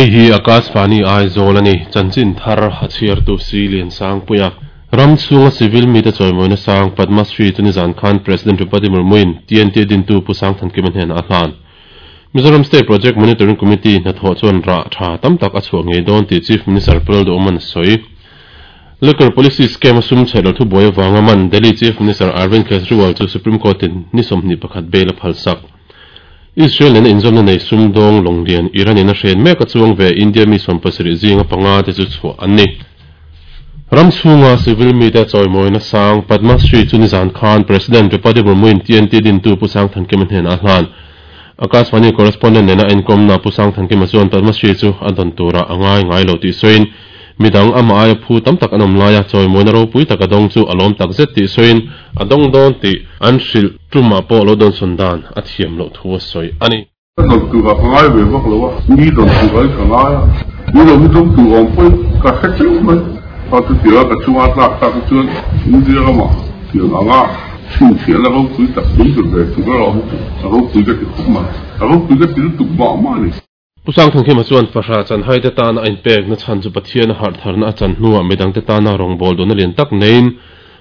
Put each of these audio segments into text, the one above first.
hi Akashvani Aizawl a ni. Chanchin thar a chhiartu Si Liansangpuia. Ram chhunga civil mite chawimawina sang Padma Shri chu nizan khan President Draupadi Murmu-in TNT dintu Pu Sangthankima hnenah a hlan. Mizoram State Project Monitoring Committee hnathawh chuan rah tha tam tak a chhuah ngei dawn tih Chief Minister Pu Lalduhawman a sawi. Liquor Policy Scheme a sum chhe lo thubuai avanga man Delhi Chief Minister Arvind Kejriwal chu Supreme Court-in ni 21 bail a phalsak. Israel nena inzawmna nei sumdawng lawnglian Iran-in a hren mek a chuang ve India mi 70 zinga panga te chu chhuah an ni. Ram chhunga civil mite chawimawina sang Padma Shri chu nizan khan President Draupadi Murmu-in TNT dintu Pu Sangthankima hnenah a hlan. Akashvani correspondent nena a inkawmna Pu Sangthankima chuan Padma Shri chu a dawn turah a ngai ngai lo tih sawiin midang amah aia phu tam tak an awm laia chawimawina ropui tak a dawng chu a lawm tak zet tih sawiin a dawng dawn tih an hrilh tumah pawh lo dawnsawn dan a thiam loh thu a sawi a ni. Ka dawn turah ka ngai ve vak lo a, mi dawn turah hi ka ngai a, mi lo hi dawng tur awm pawhin ka hre teuh mai. Kha chu tia ka chunga tlak tak hi chuan India ramah tiang anga chhinchhiahna ropui tak pui ve ve tur erawh hi chu a ropui ka ti khawp mai, a ropui ka ti lutuk mah mah a ni. Pu Sangthangkhima chuan Fahra chanhai te tana a inpekna chhan chu Pathian a harh tharna a chan hnuah midangte tana rawngbâwl duhna lian tak neiin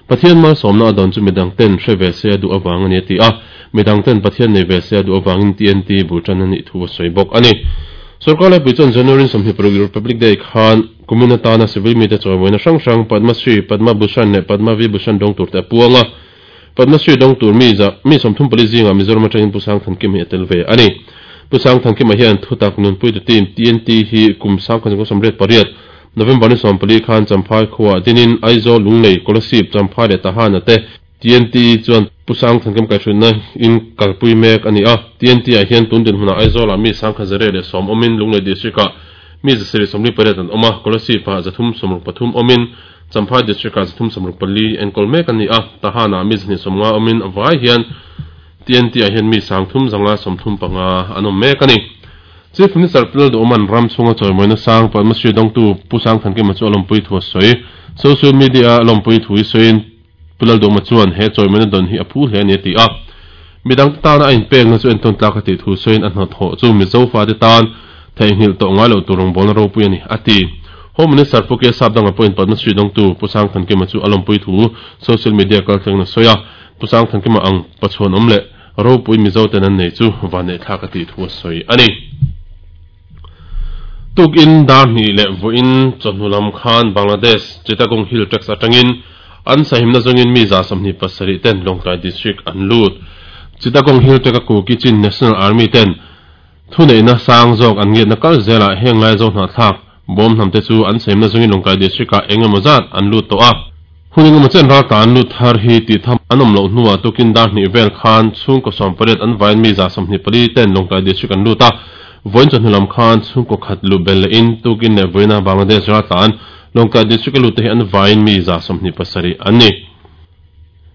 Pathian malsawmna a dawn chu midangten hre ve se a duh avang a ni a ti a, midangten Pathian nei ve se a duh avangin TNT bul tan a nih thu a sawi bawk a ni. Sorkar laipui chuan January 26 Republic Day khan kumin atana civil mite chawimawina hrang hrang Padma Shri, Padma Bhushan leh Padma Vibhushan dawng turte a puang a. Padma Shri dawng tur mi za mi 34 zingah Mizoram atangin Pu Sangthankima hi a tel ve a ni. Pu Sangthankima hian thutak nunpuitu team TNT hi kum 1988 November ni 14 khan Champhai khuaah dinin Aizawl, Lunglei, Kolasib, Champhai leh Tahana te TNT chuan Pu Sangthankima kaihhruaina in kalpui mek a ni a. TNT ah hian tun dinhmunah Aizawlah mi 1110 awmin Lunglei District-ah mi 748 an awm a, Kolasib-ah 363 awmin Champhai District-ah 364 enkawl mek a ni a, Tahan-ah mi 250 awmin a vai hian TNT-ah hian mi 3535 an awm mek a ni. Chief Minister Pu Lalduhawma'n ram chhunga chawimawina sang Padma Shri dawngtu Pu Sangthankima chu a lawmpui thu a sawi. Social media-a lawmpui thu hi sawiin Pu Lalduhawma chuan he chawimawina dawn hi a phu hle a ni a ti a. Midangte tana a inpekna chu entawn tlak a tih thu sawiin a hnathawh chu Mizo fate tan theihnghilh tawh ngai loh tur rawngbawlna ropui a ni, a ti. Home Minister Pu K Sapdanga pawhin Padma Shri dawngtu Pu Sangthankima chu a lawmpui thu social media kaltlengin a sawi a. Pu Sangthankima ang pachhuan awm leh ropui Mizo ten an nei chu vanneihthlak a tih thu a sawi a ni. Tukin dar hnih leh vawiin chawhnu lam khan Bangladesh Chittagong Hill Tracts atangin an sahimna zawngin mi 27 ten Lawngtlai District an lut. Chittagong Hill Tract a Kuki Chin National Army ten thuneihna sang zawk an ngiatna kal zelah heng lai zo hnahthlak bawm hnam te chu an sahimna zawngin Lawngtlai District ah eng emaw zat an lut tawh a. Hun eng emaw chen raltla an lut thar hi tih tham an awm loh hnuah tukin dar hnih vel khan chhungkaw 18 an vaiin mi 24 ten Lawngtlai District an lut a. Vawiin chawhnu lam khan chhungkaw khat luh bel lehin tukin leh vawiina Bangladesh raltla an Lawngtlai District a lut te hi an vaiin mi 27 an ni.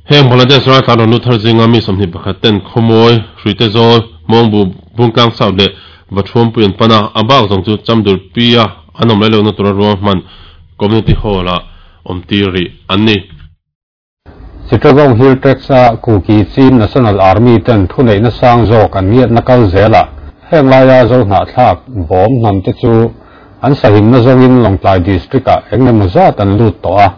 Heng Bangladesh raltla an rawn lut thar zinga mi 21 ten Khawmawi, Hruitezawl, Hmawngbu, Bungtlang South leh Vathuampui an pan a, a bak zawng chu Chamdurpia an awm lai lohna tura ruahman Community Hall-ah awm tir rih an ni. Chittagong Hill Tracts a Kuki Chin National Army ten thuneihna sang zawk an ngiatna kal zelah heng laia zo hnahthlak bawm hnam te chu an sahimna zawngin Lawngtlai District ah engemaw zat an lut tawh a,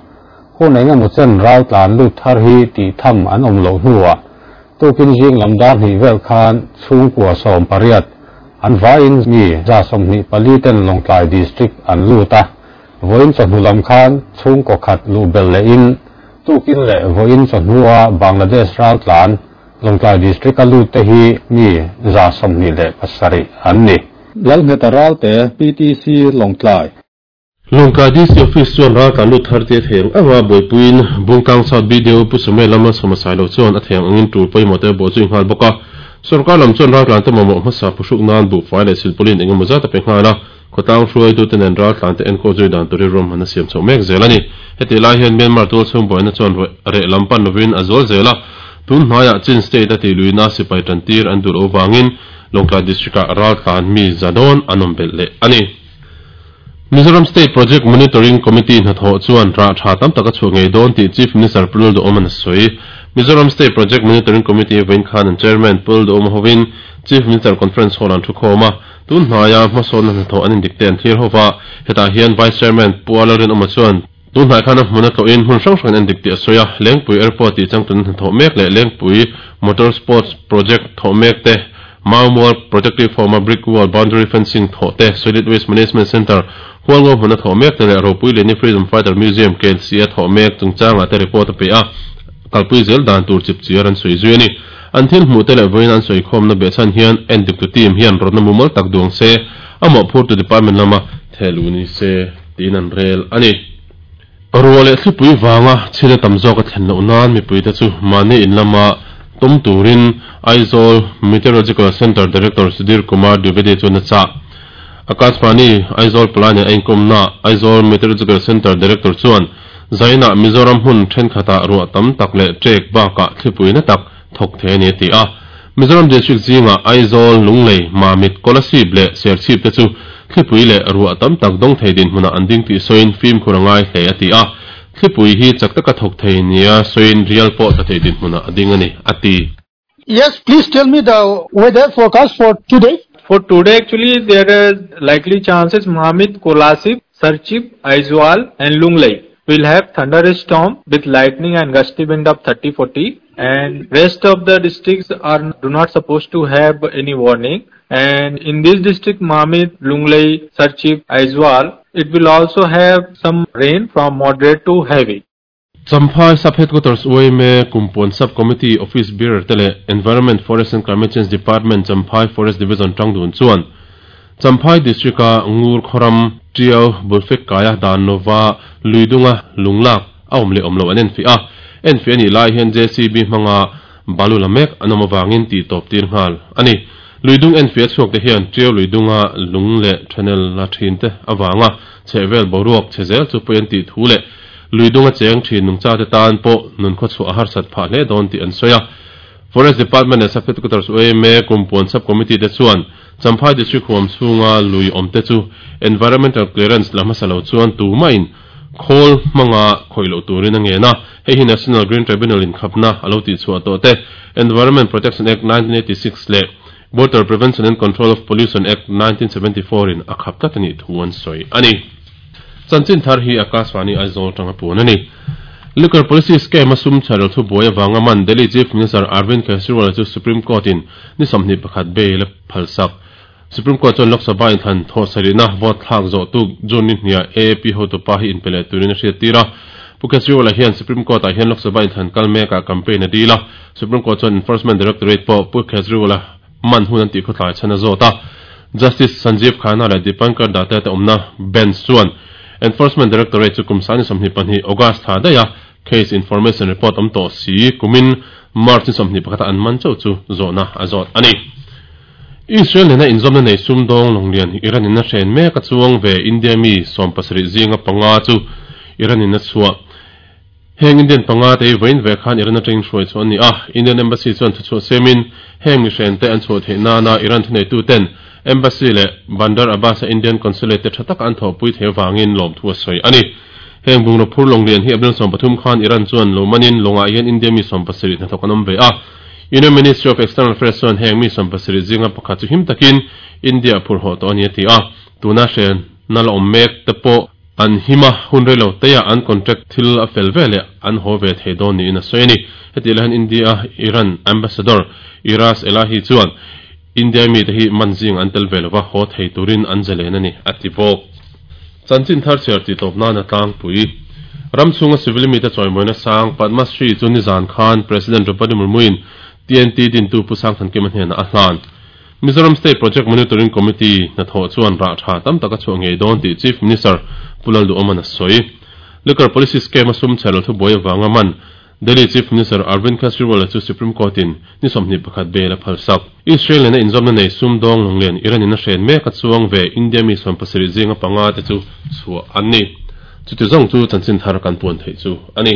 hun engemaw chen ral tlan lut thar hi tih tham an awm loh hnuah tukin zing lam dar hnih vel khan chhungkua 18 an vaiin mi 24 ten Lawngtlai District an lut a. Vawiin chawhnu lam khan chhungkaw khat luh belh lehin tukin leh vawiin chawhnua Bangladesh raltlan Lawngtlai District a lut te hi mi 27 an ni. Lalngheta Ralte, PTC, Lawngtlai. Lawngtlai DC Office chuan raltlan lut thar te a thei ang anga buaipuiin Bungtlang South BDO Pu Sume lama sawma sai lo chuan a thei ang angin tul pawimawh te bawh zui nghal bawk a. Sorkar lam chuan raltlan te mamawh hmasa phuhruk nan buhfai leh silpawlin engemaw zat a pe nghal a. Khawtlang hruaitute nen raltlan te enkawl zui dan turin ruahman a siam chhoh mek zel a ni. Hetih lai hian Myanmar tual chhung buaina chuan reh lam pan lovin a zual zel a, tun hnaiah Chin State a tihluihna sipai tantir an duh loh vangin Lawngtlai District-ah raltlan mi za dawn an awm belh leh a ni. Mizoram State Project Monitoring Committee hnathawh chuan rah tha tam tak a chhuah ngei dawn tih Chief Minister Pu Lalduhawma'n a sawi. Mizoram State Project Monitoring Committee vawiin khan an Chairman Pu Lalduhawma hovin Chief Minister Conference Hall-ah an thu khawm a. Tun hnaia hmasawnna hnathawh an indik te an thlir ho va, hetah hian Vice Chairman Pu Lalrinawma chuan tun hnai khan a hmun a tlawhin hmun hrang hrangin an dik tih a sawi a, Lengpui Airport tih changtuna hnathawh mek leh Lengpui Motor Sports Project thawh mek te, Maumual Protective Home-a Brick Wall Boundary Fencing thawh te, Solid Waste Management Centre Hualngo hmuna thawh mek te leh Ropui Liani Freedom Fighter Museum KLC-a thawh mek chungchangah te report a pe a, kalpui zel dan tur chipchiar an sawi zui a ni. An thil hmuh te leh vawiin an sawikhawmna behchhan hian endiktu team hian rawtna mumal tak duang se, a mawhphurtu department lama thehluh ni se tiin an rel a ni. Ruah leh thlipui vanga chhila tam zawk a thlen loh nan mipuite chu mahni in lama tum turin Aizawl Meteorological Centre Director Sudhir Kumar Dwivedi chuan a chah. Akashvani Aizawl palai nen a inkawmnaah Aizawl Meteorological Centre Director chuan Zainah Mizoram hmun thenkhatah ruah tam tak leh ṭek bakah thlipui na tak thawk thei a ni a ti a. Mizoram District zingah Aizawl, Lunglei, Mamit, Kolasib leh Serchhip te chu thlipui leh ruah tam tak dawng thei dinhmunah an ding tih sawiin fimkhur a ngai hle a ti a. Thlipui hi chak taka thawk thei nia sawiin rial pawh tla thei dinhmunah a ding a ni a ti. Yes, please tell me the weather forecast for today. For today actually there is likely chances Mamit, Kolasib, Serchhip, Aizawl and Lunglei will have thunderstorm with lightning and gusty wind of 30-40 and rest of the districts are do not supposed to have any warning. And in this district Mamit, Lunglei, Serchhip, Aizawl, it will also have some rain from moderate to heavy. Champhai Sub Headquarters uaime Kumpuan Sub Committee Office Bearer te leh Environment, Forest and Climate Change Department Champhai Forest Division tangdun chuan Champhai District a Ngur khawram Tiau Bulfek kaia dan lova Luidunga lunglak a awm leh awm loh an enfiah a, enfiah a nih lai hian JCB hmanga balu la mek an awm avangin tih tawp tir nghal a ni. Luidung enfiah chhuak te hian Tiau Luidunga lung leh channel la thin te avanga chhehvel boruak chhe zel chu pawi an tih thu leh Luidung a cheng thin nungcha te tan pawh nun khawchhuah a harsat phah hle dawn tih an sawi a. Forest Department leh Sub Headquarters uaime Kumpuan Sub Committee te chuan Champhai District huam chhunga lui awm te chu Environmental Clearance la hmasa lo chuan tumahin khawl hmanga khawih loh turin a ngen a. Hei hi National Green Tribunal in khapna a lo tihchhuah tawh te, Environment Protection Act 1986 leh Water Prevention and Control of Pollution Act 1974 in a khap tlat a nih thu an sawi a ni. Chanchin thar hi Akashvani Aizawl atanga puan a ni. Liquor Policy Scheme a sum chherel thu buai avanga man Delhi Chief Minister Arvind Kejriwal chu Supreme Court in ni 21 bail a phalsak. Supreme Court chuan Lok Sabha inthlan thawh sarihna vote thlak zawh tuk June ni hniah AAP hotupa hi inpe leh turin a hriattir a. Pu Kejriwal-a hian Supreme Court-ah hian Lok Sabha inthlan kal mekah campaign a dil a. Supreme Court chuan Enforcement Directorate pawh Pu Kejriwal-a man hun an tih khawtlai chhan a zawt a. Justice Sanjeev Khanna leh Dipankar Datta te awmna bench chuan Enforcement Directorate chu kum sani 22 August thla daih a case information report awm tawh si kumin March ni 21 a an man chauh chu zawhna a zawt a ni. Israel nena inzawmna nei sumdawng lawnglian Iran in a hren mek a chuang ve India mi 70 zinga panga chu Iran in a chhuah. Heng Indian panga te hi vawiin ve khan Iran atangin hruai chhuah an ni a, Indian Embassy chuan thuchhuah siamin heng mihren te an chhuah theih nana Iran thuneitu ten Embassy leh Bandar Abbas a Indian Consulate te tha taka an thawhpui thei avangin lawmthu a sawi a ni. Heng bungraw phur lawnglian hi April 13 khan Iran chuan lo manin lawngah hian India mi 70 hnathawk an awm ve a. Union Ministry of External Affairs chuan heng mi 70 zinga pakhat chu him takin India a phur haw tawh a ni a ti a, tuna hrenna la awm mek te pawh An him a, hun rei lo teia an contract thil a fel ve leh an haw ve thei dawn niin a sawi a ni. Heti lai hian India Iran Ambassador Iras Elahi chuan India mite hi man zing an tel ve lova haw thei turin an zalen a ni, a ti bawk. Chanchin thar chhiar tih tawp nan a tlangpui. Ram chhunga civil mite chawimawina sang Padma Shri chu nizan khan President Draupadi Murmu-in TNT dintu Pu Sangthankima hnenah a hlan. Mizoram State Project Monitoring Committee hnathawh chuan rah tha tam tak a chhuah ngei dawn tih Chief Minister Pu Lalduhawman a sawi. Liquor Policy Scheme a sum chherlo thubuai avanga man Delhi Chief Minister Arvind Kejriwal-a chu Supreme Court-in ni 21 bail a phalsak. Israel nena inzawmna nei sumdawng lawnglian Iran in a hren mek a chuang ve India mi 70 zinga panga te chu chhuah an ni. Chuti zawng chu chanchin thar kan puan theih chu a ni.